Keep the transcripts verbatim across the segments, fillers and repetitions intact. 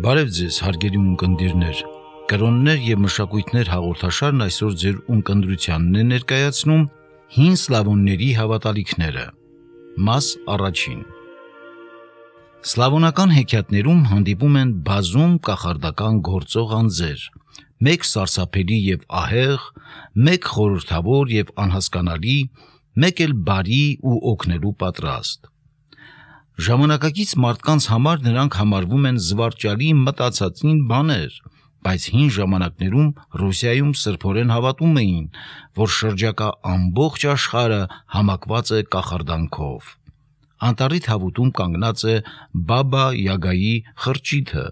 Բարև ձեզ, հարգելի ունկնդիրներ, կրոններ և մշակույթներ հաղորդաշարն այսօր ձեր ունկնդրությանն է ներկայացնում հին սլավոնների հավատալիքները, մաս առաջին։ Սլավոնական հեքիաթներում հանդիպում են բազում կախարդական գործող անձեր, մեկ սարսափելի և ահեղ, մեկ խորհրդավոր և անհասկանալի, մեկ էլ բարի ու օգնելու պատրաստ։ Ժամանակակից մարդկանց համար նրանք համարվում են զվարճալի մտածածին բաներ, բայց հին ժամանակներում Ռուսիայում սրբորեն հավատում էին, որ շրջակա ամբողջ աշխարհը համակված է կախարդանքով։ Անտառի թավուտում կանգնած է Բաբա Յագայի խրճիթը,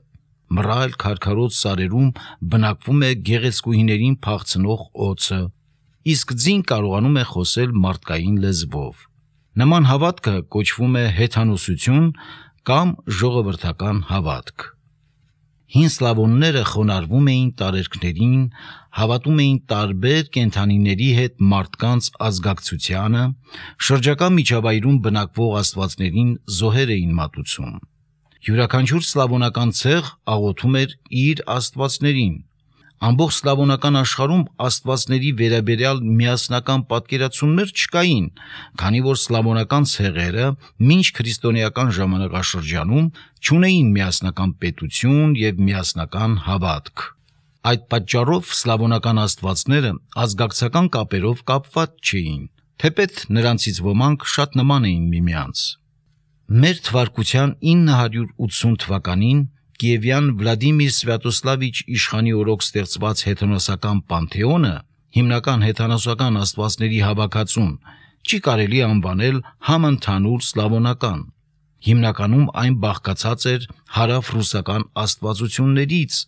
մռայլ քարքարոտ սարերում բնակվում է գեղեցկուհիներին փախցնող օձը, իսկ ձին կարողանում է խոսել մարդկային լեզվով։ Նման հավատքը կոչվում է հեթանոսություն կամ ժողովրդական հավատք։ Հին սլավոնները խոնարհվում էին տարերքներին, հավատում էին տարբեր կենդանիների հետ մարդկանց ազգակցությանը, շրջակա միջավայրում բնակվող աստվածներին զոհեր էին մատուցում։ Յուրաքանչյուր սլավոնական ցեղ աղոթում էր իր աստվածներին։ Ամբողջ սլավոնական աշխարհում աստվածների վերաբերյալ միասնական պատկերացումներ չկային, քանի որ սլավոնական ցեղերը մինչ քրիստոնեական ժամանակաշրջանում չունեին միասնական պետություն և միասնական հավատք։ Այդ պատճառով սլավոնական աստվածները ազգակցական կապերով կապված չէին, թեպետ նրանցից ոմանք շատ նման էին միմյանց։ Մեր թվարկության ինը հարյուր ութսուն թվականին Կիևյան Վլադիմիր Սվյատոսլավիչ իշխանի օրոք ստեղծված հեթանոսական պանթեոնը, հիմնական հեթանոսական աստվածների հավաքածուն, չի կարելի անվանել համընդհանուր սլավոնական։ Հիմնականում այն բաղկացած էր հարավռուսական աստվածություններից,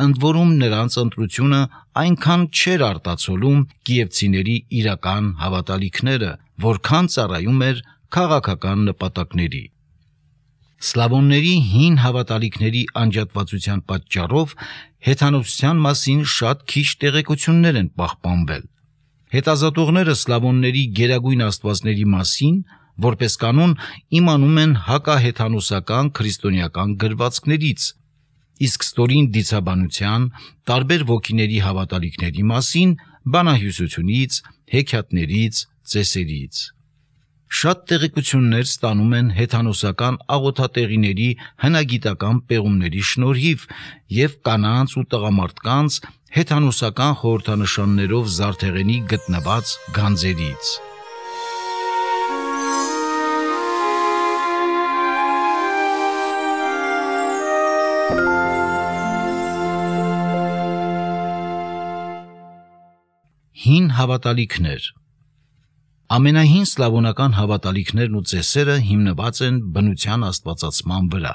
ընդ որում նրանց ընտրությունը այնքան չէր արտացոլում կիևցիների իրական հավատալիքները, որքան ծառայում էր քաղաքական նպատակների։ Սլավոնների հին հավատալիքների անջատվածության պատճառով հեթանոսության մասին շատ քիչ տեղեկություններ են պահպանվել։ Հետազոտողները սլավոնների գերագույն աստվածների մասին, որպես կանոն, իմանում են հակահեթանոսական քրիստոնեական գրվածքներից, իսկ ստորին դիցաբանության, տարբեր ոգիների հավատալիքների մասին բանահյուսությունից, հեքիաթներից, ծեսերից։ Շատ տեղեկություններ ստանում են հեթանոսական աղոթատեղիների հնագիտական պեղումների շնորհիվ և կանանց ու տղամարդկանց հեթանոսական խորհրդանշաններով զարդեղենի գտնված գանձերից։ Հին հավատալիքներ։ Ամենահին սլավոնական հավատալիքներն ու ծեսերը հիմնված են բնության աստվածացման վրա։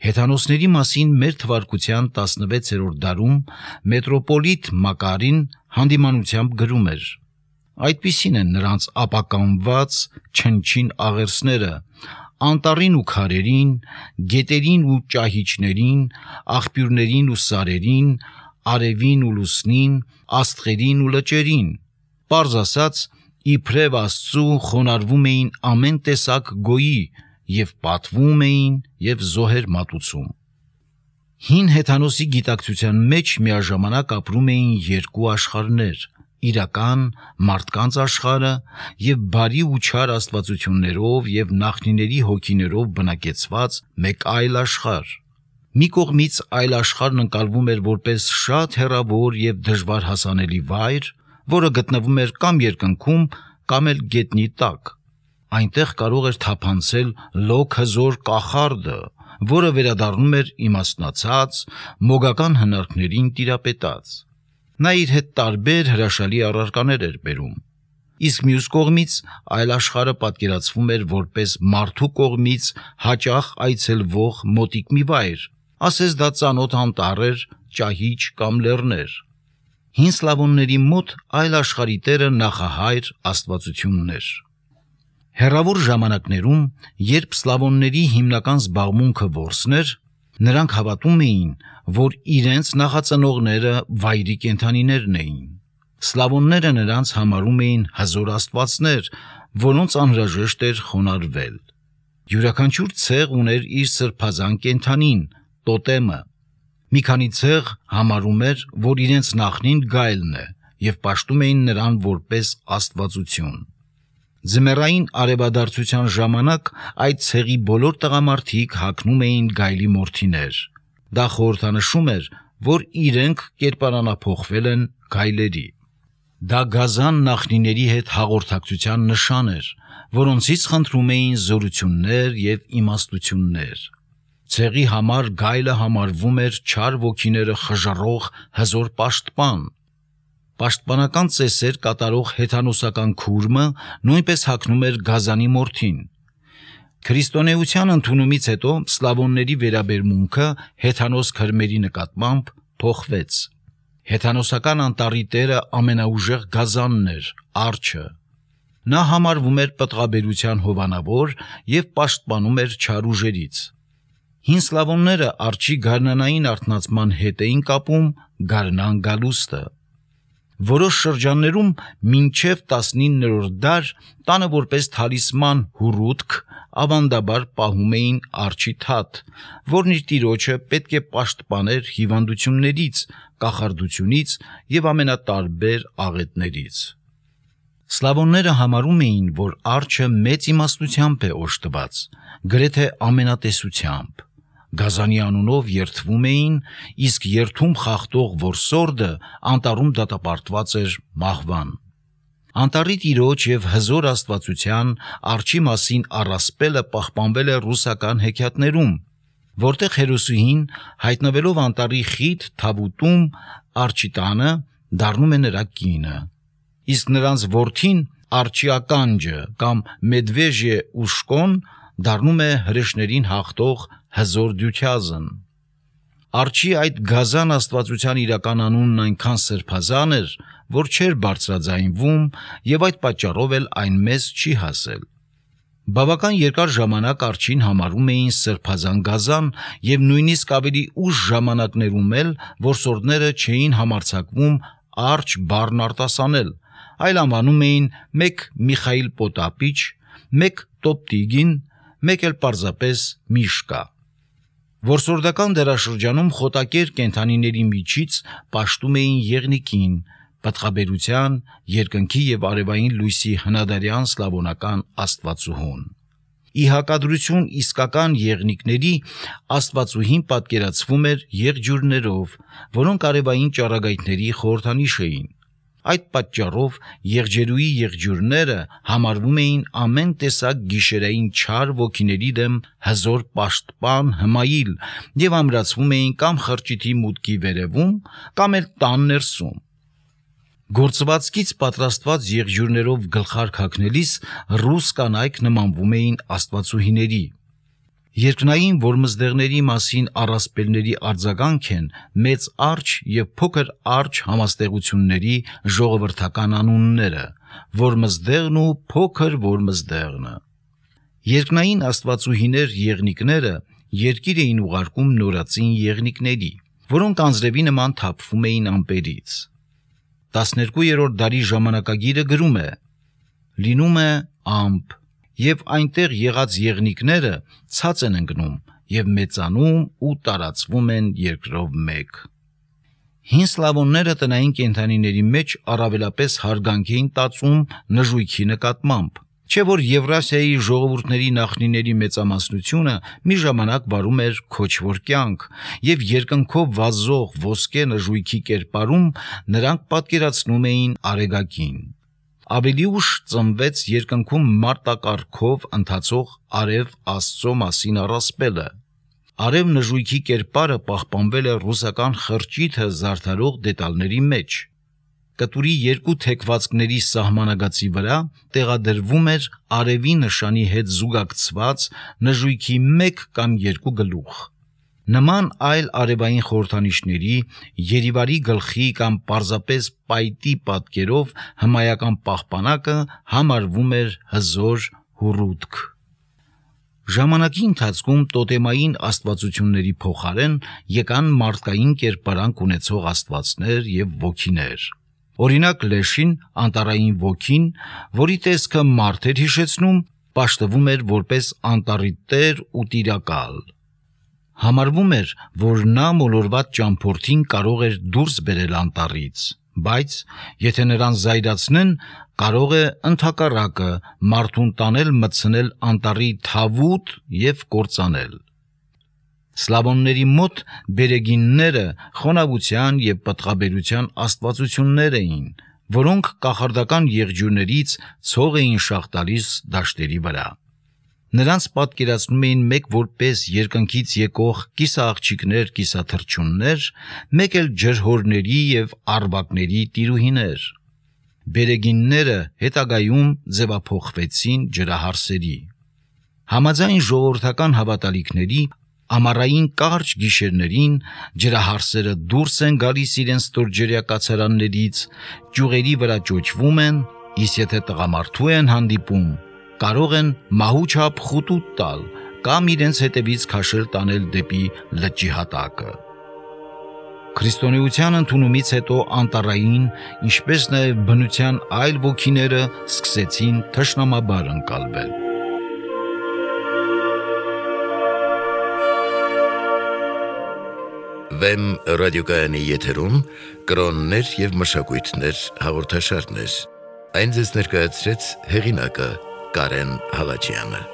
Հեթանոսների մասին մեր թվարկության տասնվեցերորդ դարում մետրոպոլիտ Մակարին հանդիմանությամբ գրում էր. «Այդպիսին են նրանց ապականված չնչին աղերսները, անտառին ու քարերին, գետերին ու ճահիճներին, աղբյուրներին ու սարերին, արևին ու լուսնին, աստղերին ու լճերին, պարզ ասած, իբրև Աստծու խոնարհվում էին ամեն տեսակ գոյի և պատվում էին և զոհեր մատուցում»։ Հին հեթանոսի գիտակցության մեջ միաժամանակ ապրում էին երկու աշխարհներ՝ իրական մարդկանց աշխարհը և բարի ու չար աստվածություններով և նախնիների հոգիներով բնակեցված մեկ այլ աշխարհ։ Մի կողմից այլ աշխարհն ընկալվում էր որպես շատ հեռավոր և դժվար հասանելի վայր, որը գտնվում էր կամ երկնքում, կամ էլ գետնի տակ։ Այնտեղ կարող էր թափանցել լոկ հզոր կախարդը, որը վերադառնում էր իմաստնացած, մոգական հնարքներին տիրապետած։ Նա իր հետ տարբեր հրաշալի առարկաներ էր բերում։ Իսկ մյուս կողմից այլ աշխարհը պատկերացվում էր որպես մարդու կողմից հաճախ այցելվող մոտիկ մի վայր, ասես դա ծանոթ անտառ էր, ճահիճ կամ լեռներ։ Հին սլավոնների մոտ այլ աշխարհի տերը նախահայր աստվածությունն էր։ Հեռավոր ժամանակներում, երբ սլավոնների հիմնական զբաղմունքը որսն էր, նրանք հավատում էին, որ իրենց նախածնողները վայրի կենդանիներն էին։ Սլավոնները նրանց համարում էին հզոր աստվածներ, որոնց անհրաժեշտ էր խոնարհվել։ Յուրաքանչյուր ցեղ ուներ իր սրբազան կենդանին, տոտեմը, Մի քանի ցեղ համարում էր, որ իրենց նախնին գայլն է, եւ պաշտում էին նրան որպես աստվածություն։ Ձմեռային արևադարձության ժամանակ այդ ցեղի բոլոր տղամարդիկ հագնում էին գայլի մորթիներ։ Դա խորհրդանշում էր, որ իրենք կերպարանափոխվել են գայլերի։ Դա գազան նախնիների հետ հաղորդակցության նշան էր, որոնցից խնդրում էին զորություններ եւ իմաստություններ։ Ցեղի համար գայլը համարվում էր չար ոգիները խժռող հզոր պաշտպան։ Պաշտպանական ծեսեր կատարող հեթանոսական քուրմը նույնպես հագնում էր գազանի մորթին։ Քրիստոնեության ընդունումից հետո սլավոնների վերաբերմունքը հեթանոս քրմերի նկատմամբ փոխվեց։ Հեթանոսական անտառի տերը ամենաուժեղ գազանն էր, արջը։ Նա համարվում էր պտղաբերության հովանավոր եւ պաշտպանում էր չար ուժերից։ Հին սլավոնները արջի գարնանային արթնացման հետ էին կապում գարնան գալուստը։ Որոշ շրջաններում մինչև տասնիններորդ դար տանը որպես թալիսման հուրուտք ավանդաբար պահում էին արջի թաթ, որն իր տիրոջը պետք է պաշտպաներ հիվանդություններից, կախարդությունից եւ ամենատարբեր աղետներից։ Սլավոնները համարում էին, որ արջը մեծ իմաստությամբ է օժտված, գրեթե ամենատեսությամբ։ Գազանի անունով երդվում էին, իսկ երդում խախտող որսորդը անտառում դատապարտված էր մահվան։ Անտառի տիրոջ եւ հզոր աստվածության արջի մասին առասպելը պահպանվել է ռուսական հեքիաթներում, որտեղ հերոսուհին հայտնվելով անտառի խիտ թավուտում արջի տանը դառնում է նրա կինը, իսկ նրանց որդին արջի ականջը կամ մեդվեժե ուշկոն դառնում է հրեշներին հաղթող հզոր դյությազն։ Արջի այդ գազան աստվածության իրական անունն այնքան սրբազան էր, որ չէր բարձրաձայնվում եւ այդ պատճառով էլ այն մեզ չի հասել։ Բավական երկար ժամանակ արջին համարում էին սրբազան գազան եւ նույնիսկ ավելի ուշ ժամանակներում էլ որսորդները չէին համարձակվում արջ բառն արտասանել, այլ անվանում էին մեկ Միխայիլ Պոտապիչ, մեկ Տոպտիգին, մեկ էլ պարզապես Միշկա։ Որսորդական դարաշրջանում խոտակեր կենդանիների միջից պաշտում էին եղնիկին, պտղաբերության, երկնքի եւ արևային լույսի հնադարյան սլավոնական աստվածուհուն։ Ի հակադրություն իսկական եղնիկների աստվածուհին պատկերացվում էր եղջյուրներով, որոնք արևային ճառագայթների խորհրդանիշ էին։ Այդ պատճառով եղջերուի եղջյուրները համարվում էին ամեն տեսակ գիշերային չար ոգիների դեմ հզոր պաշտպան հմայիլ եւ ամրացվում էին կամ խրճիթի մուտքի վերևում, կամ էլ տան ներսում։ Գործվածքից պատրաստված եղջյուրներով գլխարկ հագնելիս ռուս կանայք նմանվում էին աստվածուհիների։ Երկնային որմզդեղների մասին առասպելների արձագանք են մեծ արջ եւ փոքր արջ համաստեղությունների ժողովրդական անունները՝ որմզդեղն ու փոքր որմզդեղնը։ Երկնային աստվածուհիներ եղնիկները երկիր էին ուղարկում նորածին եղնիկների, որոնք անձրևի նման թափվում էին ամպերից։ տասներկուերորդ դարի ժամանակագիրը գրում է. լինում է ամպ, եւ այնտեղ եղած եղնիկները ցած են ընկնում եւ մեծանում ու տարածվում են երկրով մեկ։ Հին սլավոնները տնային կենդանիների մեջ առավելապես հարգանք էին տածում նժույգի նկատմամբ, չէ որ Եվրասիայի ժողովուրդների նախնիների մեծամասնությունը մի ժամանակ վարում էր քոչվոր կյանք, եւ երկնքով վազող ոսկե նժույգի կերպարում նրանք պատկերացնում էին արեգակին։ Ավելի ուշ ծնվեց երկնքում մարտակառքով ընթացող արև Աստծո մասին առասպելը։ Արև նժույգի կերպարը պահպանվել է ռուսական խրճիթը զարդարող դետալների մեջ։ Կտուրի երկու թեքվածքների սահմանագծի վրա տեղադրվում էր արևի նշանի հետ զուգակցված նժույգի մեկ կամ երկու գլուխ։ Նման այլ արևային խորհրդանիշների, Երիվարի գլխի կամ պարզապես պայտի պատկերով հմայական պահպանակը համարվում էր հզոր հուրուտք։ Ժամանակի ընթացքում տոտեմային աստվածությունների փոխարեն եկան մարդկային կերպարանք ունեցող աստվածներ եւ ոգիներ։ Օրինակ Լեշին, անտառային ոգին, որի տեսքը մարդ էր հիշեցնում, պաշտվում էր որպես անտառի տեր ու տիրակալ։ Համարվում էր, որ նա մոլորված ճամփորդին կարող էր դուրս բերել անտառից, բայց եթե նրան զայրացնեն, կարող է ընդհակառակը մարդուն տանել մտցնել անտառի թավուտ եւ կործանել։ Սլավոնների մոտ բերեգինները խոնավության եւ պտղաբերության աստվածություններ էին, որոնք կախարդական եղջյուրներից ցող էին շաղ տալիս դաշտերի վրա։ Նրանց պատկերացնում էին մեկ որպես երկնքից եկող կիսաաղջիկներ, կիսաթռչուններ, մեկ էլ ջրհորների եւ արվակների տիրուհիներ։ Բերեգինները հետագայում ձևափոխվեցին ջրահարսերի։ Համաձայն ժողովրդական հավատալիքների, ամառային կարճ գիշերներին ջրահարսերը դուրս են գալիս իրենց ստորջրյա կացարաններից, ճյուղերի վրա ճոճվում են, իսկ եթե տղամարդու են հանդիպում, կարող են մահուչափ խուտուտ տալ կամ իրենց հետևից քաշել տանել դեպի լճի հատակը։ Քրիստոնեության ընդունումից հետո անտառային, ինչպես նաև բնության այլ ոգիները սկսեցին թշնամաբար ընկալվել։ Վեմ ռադիոկայանի եթերում կրոններ եւ մշակույթներ հաղորդաշարներ։ Այն ձեզ ներկայացրեց հեղինակը Կարեն Հալաջյանը։